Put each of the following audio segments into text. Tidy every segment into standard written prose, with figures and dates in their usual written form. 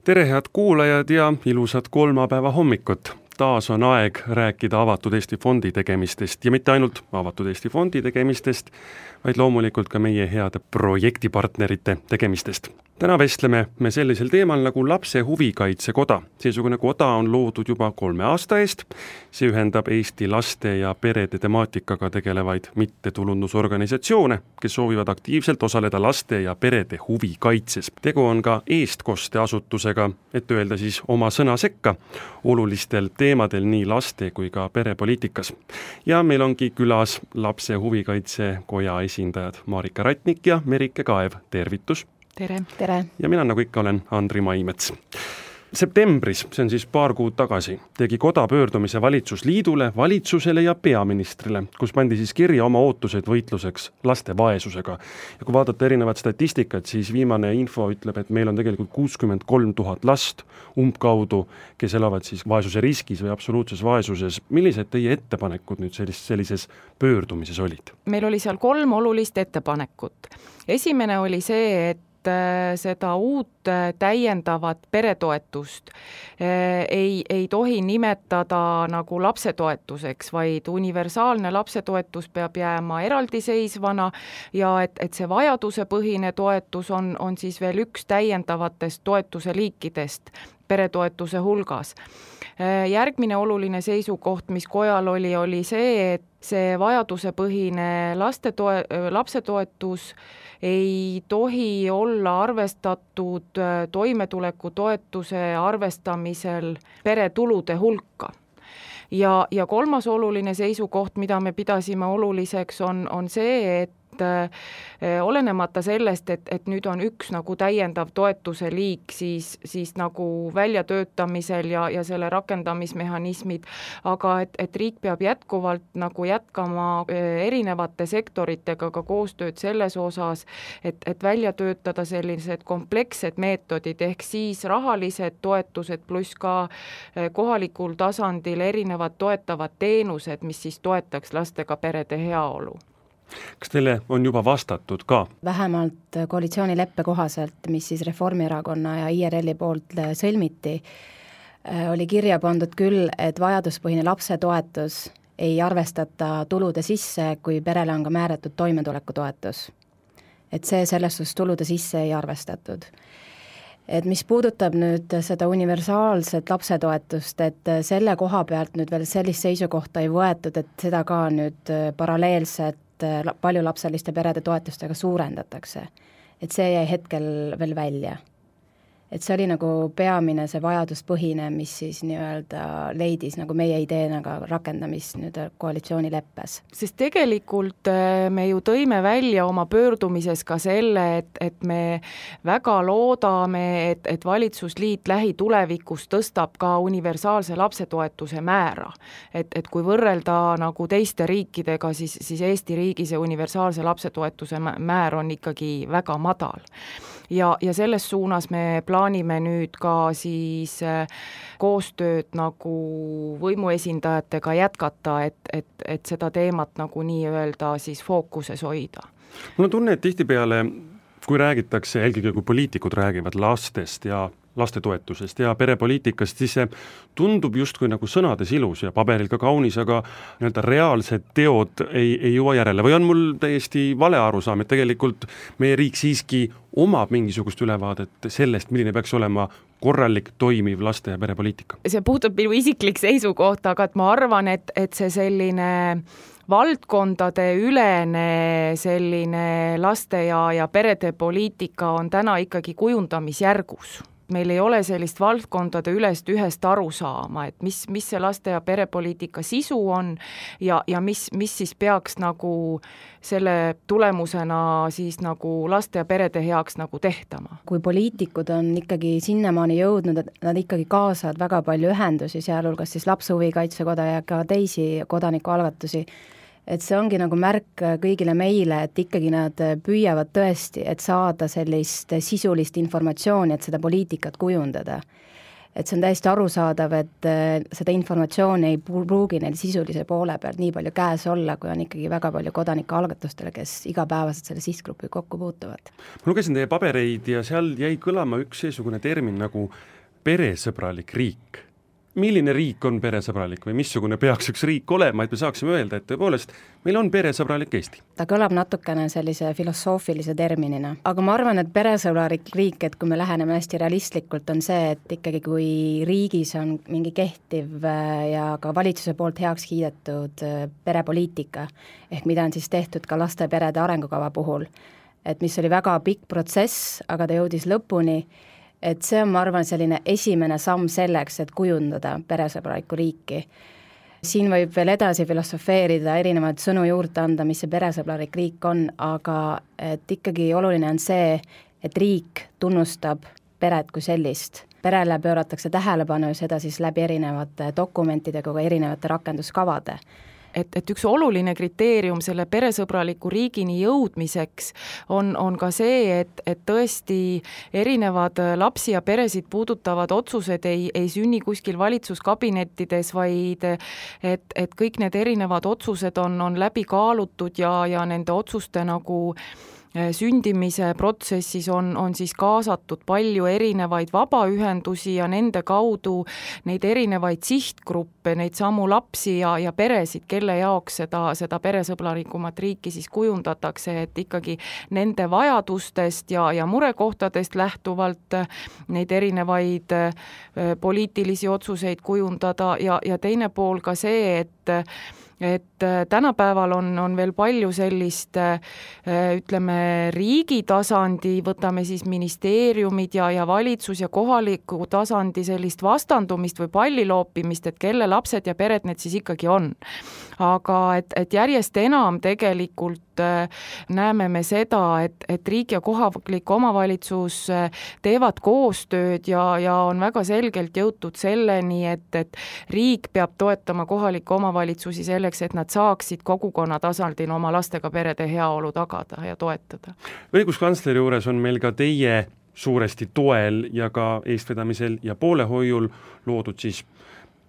Tere, head kuulajad ja ilusat kolmapäeva hommikut! Taas on aeg rääkida Avatud Eesti Fondi tegemistest ja mitte ainult Avatud Eesti Fondi tegemistest, vaid loomulikult ka meie heade projektipartnerite tegemistest. Täna vestleme me sellisel teemal nagu lapse huvikaitsekoda. Seesugune koda on loodud juba 3 aasta eest. See ühendab Eesti laste ja perede temaatikaga tegelevaid mittetulundusorganisatsioone, kes soovivad aktiivselt osaleda laste ja perede huvikaitses. Tegu on ka eestkosteasutusega, et öelda siis oma sõna sekka olulistel teemadel nii laste kui ka perepoliitikas. Ja meil ongi külas lapse huvikaitsekoja esindajad Marika Ratnik ja Merike Kaev. Tervitus! Tere! Tere! Ja mina nagu ikka olen Andri Maimets. Septembris, see on siis paar kuud tagasi, tegi koda pöördumise valitsusliidule, valitsusele ja peaministrile, kus pandi siis kirja oma ootused võitluseks laste vaesusega. Ja kui vaadata erinevat statistikat, siis viimane info ütleb, et meil on tegelikult 63 000 last umbkaudu, kes elavad siis vaesuse riskis või absoluutses vaesuses. Millised teie ettepanekud nüüd sellises pöördumises olid? Meil oli seal 3 olulist ettepanekut. Esimene oli see, et seda uut täiendavat peretoetust ei tohi nimetada nagu lapsetoetuseks, vaid universaalne lapsetoetus peab jääma eraldiseisvana ja et see vajadusepõhine toetus on siis veel üks täiendavatest toetuse liikidest peretoetuse hulgas. Järgmine oluline seisukoht, mis kojal oli see, et see vajadusepõhine lapsetoetus ei tohi olla arvestatud toimetulekutoetuse arvestamisel peretulude hulka. Ja 3. oluline seisukoht, mida me pidasime oluliseks, on see, et olenemata sellest, et nüüd on üks nagu täiendav toetuse liik, siis nagu väljatöötamisel ja selle rakendamismehhanismid, aga et riik peab jätkuvalt nagu jätkama erinevate sektoritega ka koostööd selles osas, et välja töötada sellised komplekssed meetodid ehk siis rahalised toetused pluss ka kohalikul tasandil erinevad toetavad teenused, mis siis toetaks lastega perede heaolu. Kas teile on juba vastatud ka? Vähemalt koalitsioonileppe kohaselt, mis siis Reformierakonna ja IRL-i poolt sõlmiti, oli kirja pandud küll, et vajaduspõhine lapsetoetus ei arvestata tulude sisse, kui perele on ka määratud toimetulekutoetus. Et see selles suhtes tulude sisse ei arvestatud. Et mis puudutab nüüd seda universaalset lapsetoetust, et selle koha pealt nüüd veel sellist seisukohta ei võetud, et seda ka nüüd paralleelselt paljulapseliste perede toetustega suurendatakse. Et see jäi hetkel veel välja. Et see oli nagu peamine see vajaduspõhine, mis siis nii-öelda leidis nagu meie ideenaga rakendamist nüüd koalitsioonileppes. Sest tegelikult me ju tõime välja oma pöördumises ka selle, et me väga loodame, et valitsusliit lähitulevikus tõstab ka universaalse lapsetoetuse määra. Et kui võrrelda nagu teiste riikidega, siis Eesti riigis see universaalse lapsetoetuse määr on ikkagi väga madal. Ja selles suunas me plaanime nüüd ka siis koostööd nagu võimuesindajatega jätkata, et seda teemat nagu nii-öelda siis fookuses hoida. Mul on tunne, et tihtipeale, kui räägitakse, eelkõige kui poliitikud räägivad lastest ja lastetoetusest ja perepoliitikast, siis see tundub justkui nagu sõnades ilus ja paberil ka kaunis, aga nii-öelda reaalsed teod ei jõua järele. Või on mul täiesti vale arusaam, et tegelikult meie riik siiski omab mingisugust ülevaadet sellest, milline peaks olema korralik, toimiv laste- ja perepoliitika? See puutub minu isiklik seisukoht, aga et ma arvan, et see selline valdkondade ülene selline laste ja perede poliitika on täna ikkagi kujundamisjärgus. Meil ei ole sellist valdkondade ühest aru saama, et mis see laste- ja perepoliitika sisu on ja mis siis peaks nagu selle tulemusena siis nagu laste ja perede heaks nagu tehtama. Kui poliitikud on ikkagi sinnamaani jõudnud, et nad ikkagi kaasavad väga palju ühendusi, sealhulgas siis lapse huvikaitsekoda ja ka teisi kodanikualgatusi, et see ongi nagu märk kõigile meile, et ikkagi nad püüavad tõesti, et saada sellist sisulist informatsiooni, et seda poliitikat kujundada. et see on täiesti arusaadav, et seda informatsiooni ei pruugi neil sisulise poole pealt nii palju käes olla, kui on ikkagi väga palju kodanikualgatustele, kes igapäevaselt selle sihtgrupi kokku puutuvad. Ma lugesin teie pabereid ja seal jäi kõlama üks seesugune termin nagu peresõbralik riik. Milline riik on peresõbralik või missugune peaks üks riik olema, et me saaksime öelda, et tõepoolest meil on peresõbralik Eesti? Ta kõlab natukene sellise filosoofilise terminina, aga ma arvan, et peresõbralik riik, et kui me läheneme hästi realistlikult, on see, et ikkagi kui riigis on mingi kehtiv ja ka valitsuse poolt heaks kiidetud perepoliitika, ehk mida on siis tehtud ka laste ja perede arengukava puhul, et mis oli väga pikk protsess, aga ta jõudis lõpuni, et see on, ma arvan, selline esimene samm selleks, et kujundada peresõbralikku riiki. Siin võib veel edasi filosofeerida, erinevaid sõnu juurde anda, mis see peresõbralik riik on, aga et ikkagi oluline on see, et riik tunnustab peret kui sellist. Perele pööratakse tähelepanu ja seda siis läbi erinevate dokumentidega, ka erinevate rakenduskavade. Et üks oluline kriteerium selle peresõbraliku riigini jõudmiseks on ka see, et tõesti erinevad lapsi ja peresid puudutavad otsused ei sünni kuskil valitsuskabinettides, vaid et kõik need erinevad otsused on läbi kaalutud ja nende otsuste nagu sündimise protsessis on siis kaasatud palju erinevaid vabaühendusi ja nende kaudu neid erinevaid sihtgruppe, neid samu lapsi ja peresid, kelle jaoks seda peresõbralikumat riiki siis kujundatakse, et ikkagi nende vajadustest ja murekohtadest lähtuvalt neid erinevaid poliitilisi otsuseid kujundada ja teine pool ka see, et tänapäeval on veel palju sellist, ütleme, riigi tasandi, võtame siis ministeeriumid ja valitsus ja kohaliku tasandi sellist vastandumist või palliloopimist, et kelle lapsed ja pered need siis ikkagi on. Aga et järjest enam tegelikult näeme me seda, et riik ja kohalik omavalitsus teevad koostööd ja on väga selgelt jõutud selleni, et riik peab toetama kohalikke omavalitsusi selleks, et nad saaksid kogukonna tasandil oma lastega perede heaolu tagada ja toetada. Õiguskantsleri juures on meil ka teie suuresti toel ja ka eestvedamisel ja poolehoiul loodud siis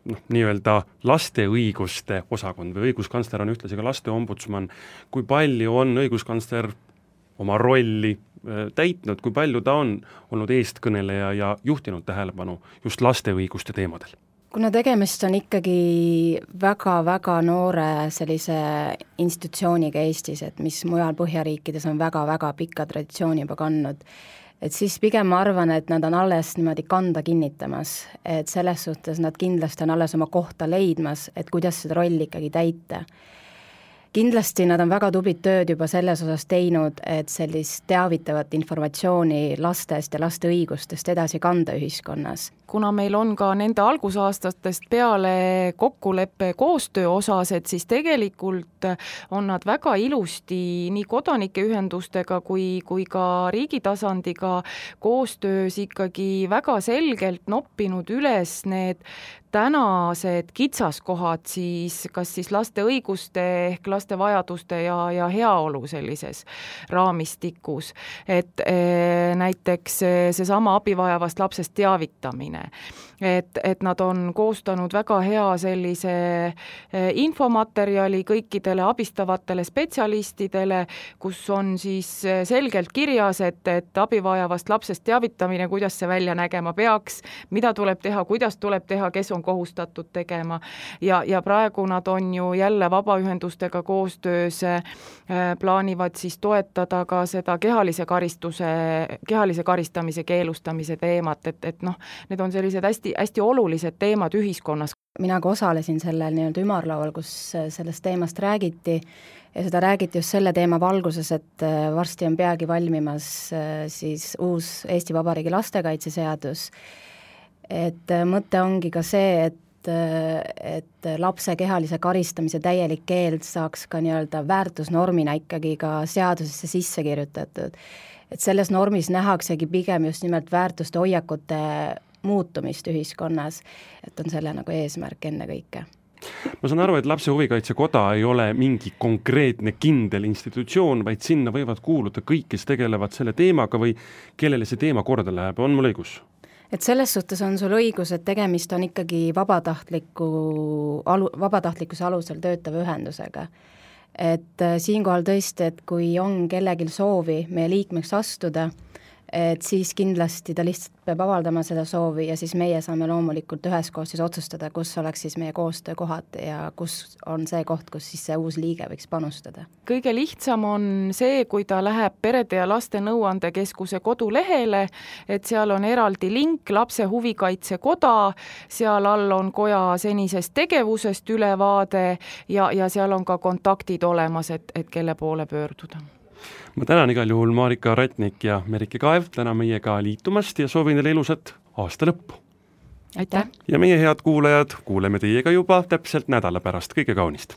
nii-öelda laste õiguste osakond või õiguskantsler on ühtlasi ka laste ombudsman. Kui palju on õiguskantsler oma rolli täitnud, kui palju ta on olnud eestkõneleja ja juhtinud tähelepanu just laste õiguste teemadel? Kuna tegemist on ikkagi väga-väga noore sellise institutsiooniga Eestis, et mis mujal Põhjariikides on väga-väga pikka traditsiooni juba kandnud, et siis pigem ma arvan, et nad on alles niimoodi kanda kinnitamas, et selles suhtes nad kindlasti on alles oma kohta leidmas, et kuidas seda rolli ikkagi täita. Kindlasti nad on väga tublit tööd juba selles osas teinud, et sellist teavitavat informatsiooni lastest ja laste õigustest edasi kanda ühiskonnas. Kuna meil on ka nende algusaastatest peale kokkuleppe koostöö osas, et siis tegelikult on nad väga ilusti nii kodanikeühendustega kui ka riigi tasandiga koostöös ikkagi väga selgelt noppinud üles need tänased kitsaskohad siis, kas siis laste õiguste ehk laste vajaduste ja heaolu sellises raamistikus. Et näiteks seesama abivajavast lapsest teavitamine. Et nad on koostanud väga hea sellise infomaterjali kõikidele abistavatele spetsialistidele, kus on siis selgelt kirjas, et abivajavast lapsest teavitamine, kuidas see välja nägema peaks, mida tuleb teha, kuidas tuleb teha, kes on kohustatud tegema ja praegu nad on ju jälle vabaühendustega koostöös plaanivad siis toetada ka seda kehalise karistamise keelustamise teemat, et need on sellised hästi olulised teemad ühiskonnas. Mina ka osalesin sellel nii-öelda ümarlaual, kus sellest teemast räägiti ja seda räägiti just selle teema valguses, et varsti on peagi valmimas siis uus Eesti Vabariigi lastekaitseseadus. Et mõte ongi ka see, et lapse kehalise karistamise täielik keeld saaks ka nii-öelda väärtusnormina ikkagi ka seadusesse sisse kirjutatud. Et selles normis nähaksegi pigem just nimelt väärtuste hoiakute muutumist ühiskonnas, et on selle nagu eesmärk enne kõike. Ma saan aru, et Lapse Huvikaitsekoda ei ole mingi konkreetne kindel institutsioon, vaid sinna võivad kuuluda kõik, kes tegelevad selle teemaga või kellele see teema korda läheb. On mul õigus? et selles suhtes on sul õigus, et tegemist on ikkagi vabatahtlikkuse alusel töötava ühendusega. Et siinkohal tõesti, et kui on kellelgi soovi meie liikmeks astuda, et siis kindlasti ta lihtsalt peab avaldama seda soovi ja siis meie saame loomulikult üheskoos siis otsustada, kus oleks siis meie koostöökohad ja kus on see koht, kus siis see uus liige võiks panustada. Kõige lihtsam on see, kui ta läheb Perede ja Laste Nõuandekeskuse kodulehele, et seal on eraldi link Lapse Huvikaitse Koda, seal all on koja senisest tegevusest ülevaade ja seal on ka kontaktid olemas, et kelle poole pöörduda. Ma tänan igal juhul Marika Ratnik ja Merike Kaev täna meiega liitumast ja soovin teile ilusat aasta lõppu. Aitäh! Ja meie head kuulajad, kuuleme teiega juba täpselt nädala pärast, kõige kaunist!